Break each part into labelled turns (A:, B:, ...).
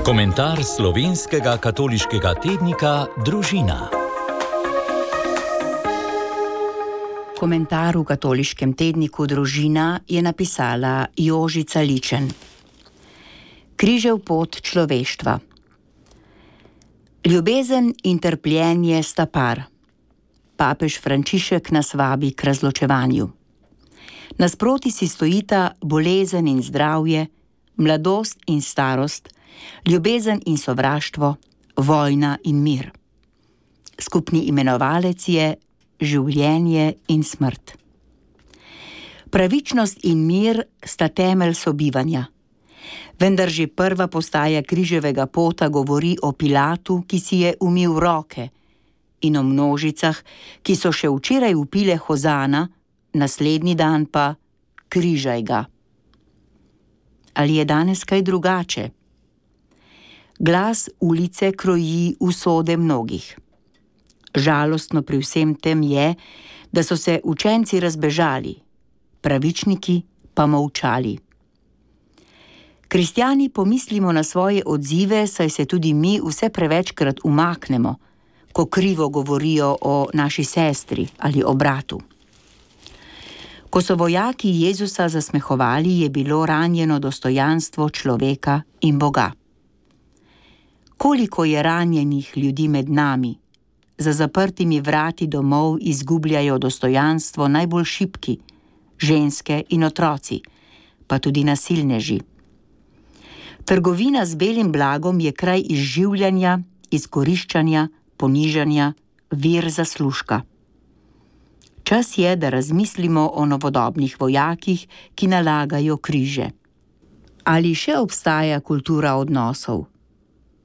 A: Komentar slovenskega katoliškega tednika Družina.
B: Komentar v katoliškem tedniku Družina je napisala Jožica Ličen. Križev pot človeštva. Ljubezen in trpljenje sta par. Papež Frančišek nas vabi k razločevanju. Nasproti si stojita bolezen in zdravje, mladost in starost, ljubezen in sovraštvo, vojna in mir. Skupni imenovalec je življenje in smrt. Pravičnost in mir sta temelj sobivanja. Vendar že prva postaja križevega pota govori o Pilatu, ki si je umil roke, in o množicah, ki so še včeraj vpile hozana, naslednji dan pa križaj ga. Ali je danes kaj drugače? Glas ulice kroji usode mnogih. Žalostno pri vsem tem je, da so se učenci razbežali, pravičniki pa molčali. Kristjani pomislimo na svoje odzive, saj se tudi mi vse prevečkrat umaknemo, ko krivo govorijo o naši sestri ali o bratu. Ko so vojaki Jezusa zasmehovali, je bilo ranjeno dostojanstvo človeka in Boga. Koliko je ranjenih ljudi med nami? Za zaprtimi vrati domov izgubljajo dostojanstvo najbolj šibki, ženske in otroci, pa tudi nasilneži. Trgovina z belim blagom je kraj izživljanja, izkoriščanja, ponižanja, vir zaslužka. Čas je, da razmislimo o novodobnih vojakih, ki nalagajo križe. Ali še obstaja kultura odnosov?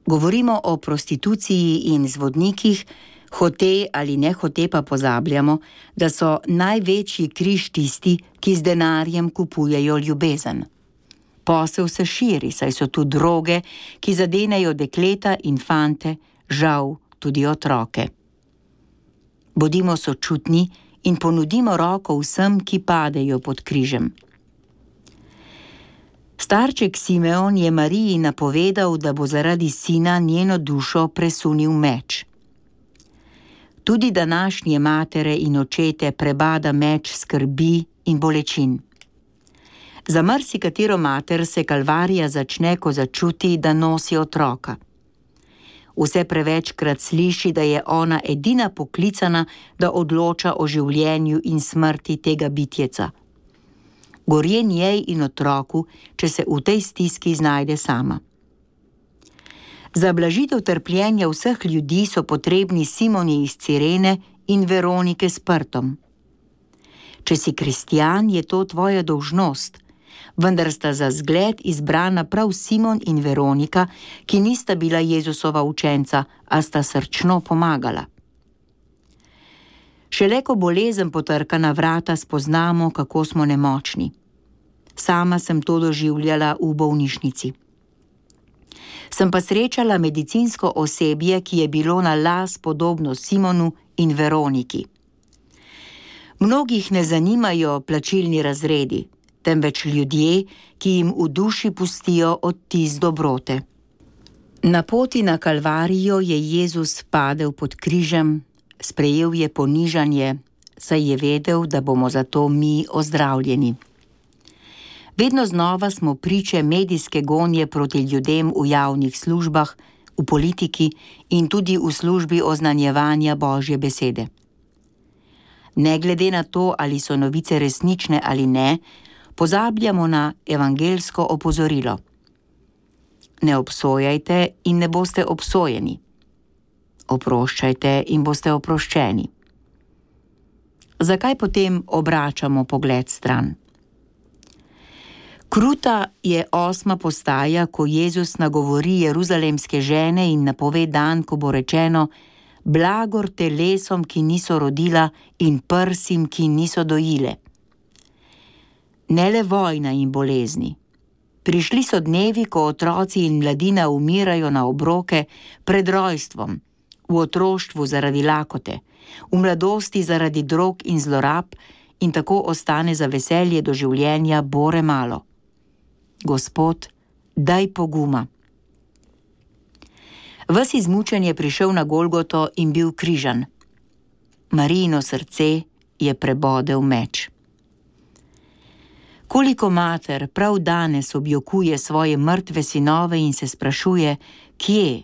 B: Govorimo o prostituciji in zvodnikih, hote ali nehote pa pozabljamo, da so največji križ tisti, ki z denarjem kupujejo ljubezen. Posel se širi, saj so tu droge, ki zadenejo dekleta in fante, žal tudi otroke. Bodimo sočutni in ponudimo roko vsem, ki padejo pod križem. Starček Simeon je Mariji napovedal, da bo zaradi sina njeno dušo presunil meč. Tudi današnje matere in očete prebada meč skrbi in bolečin. Za marsikatero mater se kalvarija začne, ko začuti, da nosi otroka. Vse prevečkrat sliši, da je ona edina poklicana, da odloča o življenju in smrti tega bitjeca. Gorje njej in otroku, če se v tej stiski znajde sama. Za blažitev trpljenja vseh ljudi so potrebni Simoni iz Cirene in Veronike s prtom. Če si kristjan, je to tvoja dolžnost, vendar sta za zgled izbrana prav Simon in Veronika, ki nista bila Jezusova učenca, a sta srčno pomagala. Šele ko bolezen potrka na vrata, spoznamo, kako smo nemočni. Sama sem to doživljala v bolnišnici. Sem pa srečala medicinsko osebje, ki je bilo na las podobno Simonu in Veroniki. Mnogih ne zanimajo plačilni razredi, temveč ljudje, ki jim v duši pustijo odtis dobrote. Na poti na Kalvarijo je Jezus padel pod križem, sprejel je ponižanje, saj je vedel, da bomo zato mi ozdravljeni. Vedno znova smo priče medijske gonje proti ljudem v javnih službah, v politiki in tudi v službi oznanjevanja Božje besede. Ne glede na to, ali so novice resnične ali ne, pozabljamo na evangelsko opozorilo. Ne obsojajte in ne boste obsojeni. Oproščajte in boste oproščeni. Zakaj potem obračamo pogled stran? Kruta je 8. postaja, ko Jezus nagovori jeruzalemske žene in napove dan, ko bo rečeno: blagor telesom, ki niso rodila, in prsim, ki niso dojile. Ne le vojna in bolezni. Prišli so dnevi, ko otroci in mladina umirajo na obroke pred rojstvom, v otroštvu zaradi lakote, v mladosti zaradi drog in zlorab, in tako ostane za veselje do življenja bore malo. Gospod, daj poguma. Ves izmučen je prišel na Golgoto in bil križan. Marijino srce je prebodel meč. Koliko mater prav danes objokuje svoje mrtve sinove in se sprašuje, kje,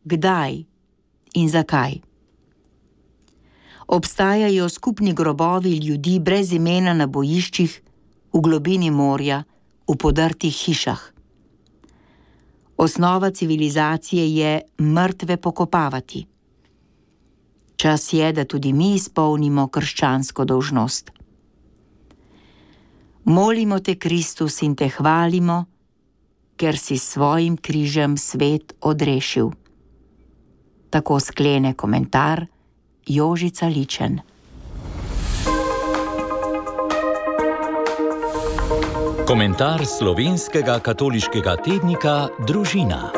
B: kdaj in zakaj. Obstajajo skupni grobovi ljudi brez imena na bojiščih, v globini morja, v podrtih hišah. Osnova civilizacije je mrtve pokopavati. Čas je, da tudi mi izpolnimo krščansko dolžnost. Molimo te, Kristus, in te hvalimo, ker si s svojim križem svet odrešil. Tako sklene komentar Jožica Ličen.
A: Komentar slovenskega katoliškega tednika Družina.